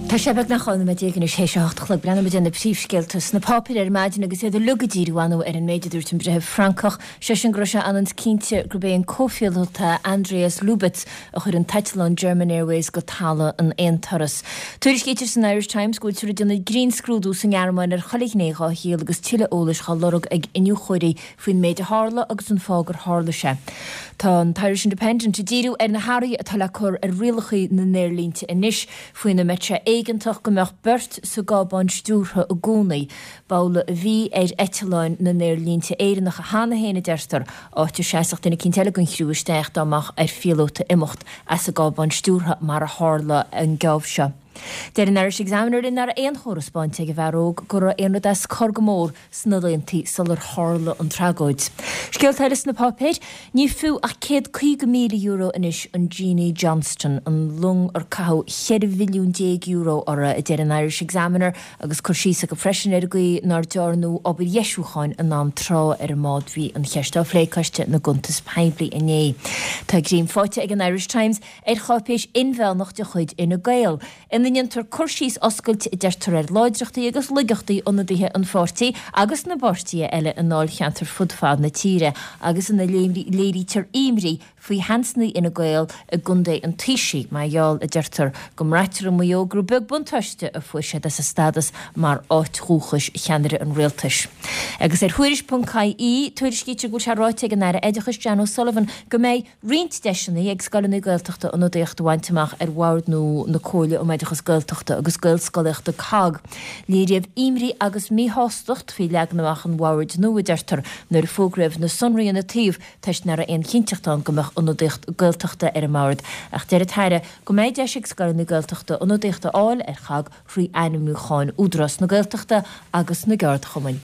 Tá sé beagnach 12 nóiméad anois théis a hocht a chlog. Breathnóidh muid ar na príomhscéalta sna páipéir ar maidin agus iad uilig ag díriú ar ndóigh ar an méid a dúirt an breitheamh Francach, sé sin go raibh sé ionann is cinnte gurb é an comhphíolóta Andreas Lubitz a chuir an t-eitleán German Airways go talamh in aon turas. Tuairiscítear san Irish Times go bhfuiltear ag déanamh grinnscrúdú sa nGearmáin ar chuile ghné dhá shaol agus tuilleadh eolais dhá lorg ag iniúchóirí faoin méid a tharla agus an fáth gur tharla sé. Tá an tIrish Independent ag díriú ar na hathruithe atá le cur ar rialacha na n-aerlínte anois, faoina mbeidh sé éigeantach go mbeadh beirt sa gcábán stiúrtha i gcónaí. B'amhlaidh a bhí ar eitleáin na n-aerlínte Éireannacha cheana féin, a deirtear, áit a seasfadh duine eicínt eile den chriú isteach dá mbeadh ar phíolóta imeacht as an gcábán stiúrtha mar a tharla an geábh seo. Deir an Irish Examiner linn nach raibh aon chomhartha ar spáint ag an bhfear óg go raibh aon rud as cor go mór sna laontaí sular tharla an tragóid. Scéalta eile sna páipéir, ní fiú ach €150,000 anois an Jeanie Johnston, an long ar caitheadh €14 mhilliún uirthi, a deir an Irish Examiner agus cur síos acu freisin ar an gcaoi nár dearnadh obair dheisiúcháin in am trátha ar an mbád. Bhí an cheist á phlé ag Coiste na gCuntas Poiblí inné. Tá greim faighte ag an Irish Times ar cháipéis inmheánach de chuid Fhine Gael, ina ndéantar cur síos oscailte, a deirtear, ar láidreachtaí agus laigeachtaí ionadaithe an pháirtí agus na bpáirtithe eile i ndáilcheantair fud fad na tíre agus ina léirítear imní faoi sheansanna Fhine Gael i gcontae an Taoisigh mar gheall, a deirtear, go mbraitear i Maigh Eo gur beag buntáiste a fuair siad as a stádas mar áit dhúchais cheannaire an rialtais. Agus ar Thuairisc.ie, tuairiscítear go bhfuil sé ráite ag an Aire Oideachais Jan O'Sullivan go mbeidh roinnt deiseanna ag scoileanna Gaeltachta ionadaíocht a bhaint amach ar bhord nua na Comhairle um Oideachas Gaeltachta agus Gaelscolaíochta, COGG. Léiríodh imní agus míshástacht faoi leagan amach an bhoird nua, a deirtear, nuair a fógraíodh na sonraí ina taobh toisc nach raibh aon chinnteacht ann go mbeadh ionadaíocht Gaeltachta ar an mbord. Ach deir an tAire go mbeidh deis ag scoileanna Gaeltachta ionadaíocht a fháil ar COGG thrí ainmniúcháin Údarás na Gaeltachta agus na gceardchumainn.